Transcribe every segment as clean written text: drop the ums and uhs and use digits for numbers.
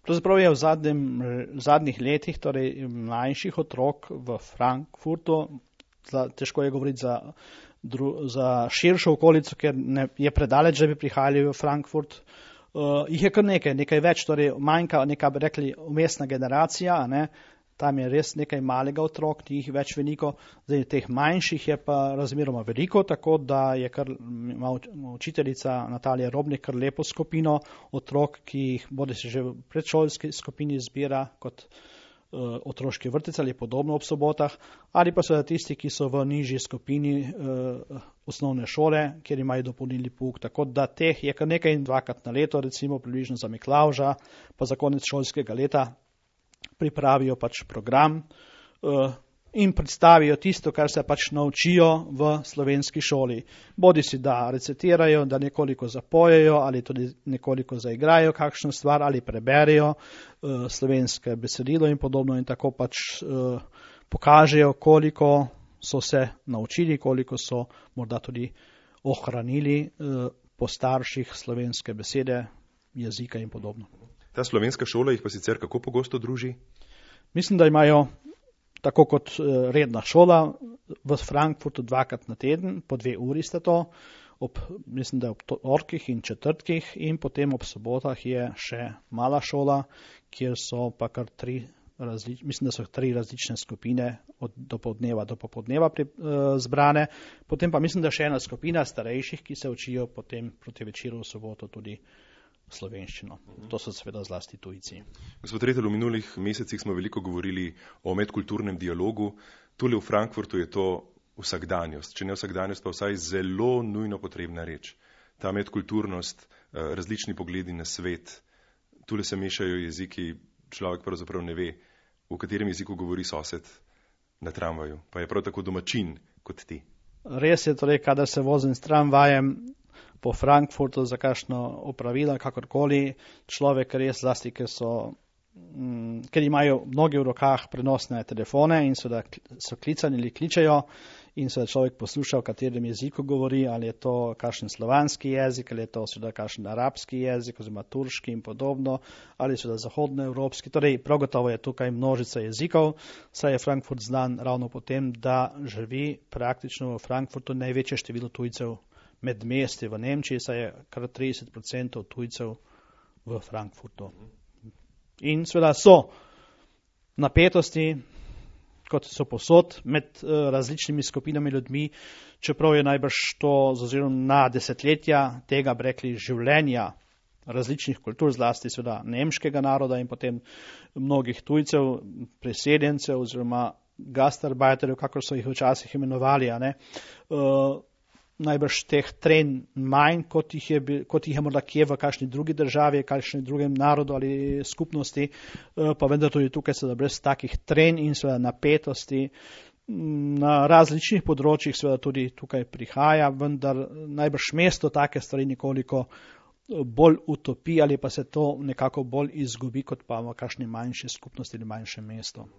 Pravzaprav je v zadnjih letih, torej mlajših otrok v Frankfurtu, težko je govoriti za širšo okolico, ker je predaleč, da bi prihajali v Frankfurt. Jih je kar nekaj več, torej manjka neka, bi rekli, umestna generacija, ne? Tam je res nekaj malega otrok, ni jih več veliko, zdaj teh manjših je pa razmeroma veliko, tako da je kar učiteljica Natalija Robnik kar lepo skupino otrok, ki jih bodi se že v predšolski skupini zbira kot otroški vrtec ali podobno ob sobotah, ali pa so tisti, ki so v nižji skupini osnovne šole, kjer imajo dopolnilni pouk, tako da teh je kar nekaj in dvakrat na leto, recimo približno za Miklavža, pa za konec šolskega leta pripravijo pač program in predstavijo tisto, kar se pač naučijo v slovenski šoli. Bodi si, da recitirajo, da nekoliko zapojejo ali tudi nekoliko zaigrajo kakšno stvar ali preberejo slovenske besedilo in podobno in tako pač pokažejo, koliko so se naučili, koliko so morda tudi ohranili po starših slovenske besede, jezika in podobno. Ta slovenska šola jih pa sicer kako pogosto druži? Mislim, da imajo tako kot redna šola v Frankfurtu dvakrat na teden, po 2 uri sta to, mislim, da ob torkih in četrtkih in potem ob sobotah je še mala šola, kjer so pa kar 3 različne skupine od dopoldneva do popoldneva zbrane, potem pa mislim, da še ena skupina starejših, ki se učijo potem proti večeru v soboto tudi slovenščino. To so seveda zlasti tujci. Gospod Retelj, v minulih mesecih smo veliko govorili o medkulturnem dialogu. Tule v Frankfurtu je to vsakdanjost, če ne vsakdanjost, pa vsaj zelo nujno potrebna reč. Ta medkulturnost, različni pogledi na svet, tule se mešajo jeziki, človek pravzaprav ne ve, v katerem jeziku govori sosed na tramvaju, pa je prav tako domačin kot ti. Res je, torej, kadar se vozim s tramvajem po Frankfurtu za kakšno opravila, kakorkoli, človek res zlasti, ker imajo mnogi v rokah prenosne telefone in so klicani ali kličejo in se človek posluša, v katerem jeziku govori, ali je to kakšen slovanski jezik, ali je to seveda kakšen arabski jezik, oziroma turški in podobno, ali seveda zahodnoevropski. Torej, prav gotovo je tukaj množica jezikov, saj je Frankfurt znan ravno po tem, da živi praktično v Frankfurtu največje število tujcev med mesti v Nemčiji, saj je kar 30% tujcev v Frankfurtu. In seveda so napetosti, kot so posod, med različnimi skupinami ljudmi, čeprav je najbrž to z ozirom na desetletja tega, bi rekli, življenja različnih kultur, zlasti seveda nemškega naroda in potem mnogih tujcev, preseljencev oziroma gastarbeiterjev, kakor so jih včasih imenovali, najbrž teh trenj manj, kot jih je morda kje v kakšni drugi državi, kakšni drugem narodu ali skupnosti, pa vendar tudi tukaj seveda brez takih trenj in seveda napetosti na različnih področjih seveda tudi tukaj prihaja, vendar najbrž mesto take stvari nekoliko bolj utopi ali pa se to nekako bolj izgubi, kot pa v kakšni manjši skupnosti ali manjšem mestu.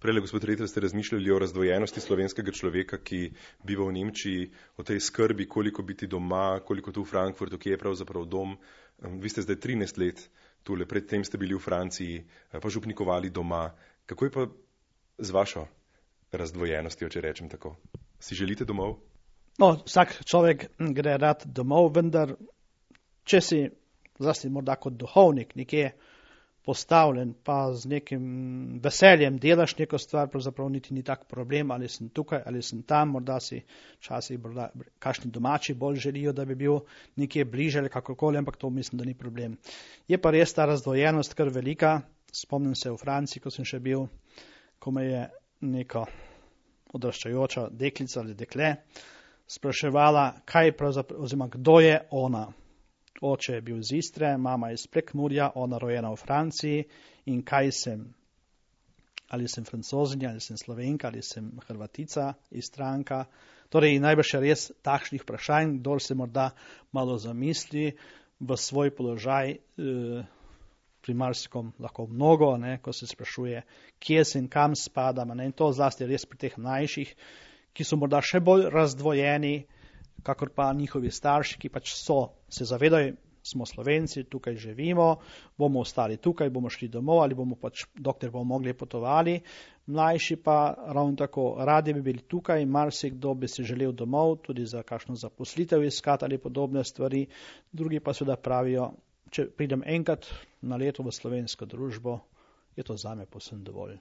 Prele, gospod Retelj, ste razmišljali o razdvojenosti slovenskega človeka, ki biva v Nemčiji, o tej skrbi, koliko biti doma, koliko tu v Frankfurtu, ki je pravzaprav dom. Vi ste zdaj 13 let tule, predtem ste bili v Franciji, pa župnikovali doma. Kako je pa z vašo razdvojenostjo, če rečem tako? Si želite domov? No, vsak človek gre rad domov, vendar če si, zlasti morda kot duhovnik, nekje postavljen, pa z nekim veseljem delaš neko stvar, pravzaprav niti ni tak problem, ali sem tukaj, ali sem tam, morda si včasih kakšni domači bolj želijo, da bi bil nekje bliže ali kakorkoli, ampak to mislim, da ni problem. Je pa res ta razdvojenost kar velika. Spomnim se v Franciji, ko sem še bil, ko me je neka odraščajoča deklica ali dekle spraševala, kaj pravzaprav, oziroma kdo je ona. Oče je bil iz Istre, mama iz Prekmurja, ona rojena v Franciji in kaj sem? Ali sem Francozinja, ali sem Slovenka, ali sem Hrvatica, Istranka? Torej, najbrž je res takšnih vprašanj, kdor se morda malo zamisli v svoj položaj, pri marsikom lahko mnogo, ko se sprašuje, kje sem, kam spadam, in to zlasti res pri teh mlajših, ki so morda še bolj razdvojeni, kakor pa njihovi starši, ki pač se zavedajo smo Slovenci, tukaj živimo, bomo ostali tukaj, bomo šli domov ali bomo pač, dokler bomo mogli, potovali. Mlajši pa ravno tako, radi bi bili tukaj, marsikdo bi se želel domov, tudi za kakšno zaposlitev iskati ali podobne stvari. Drugi pa seveda pravijo, če pridem enkrat na leto v slovensko družbo, je to zame povsem dovolj.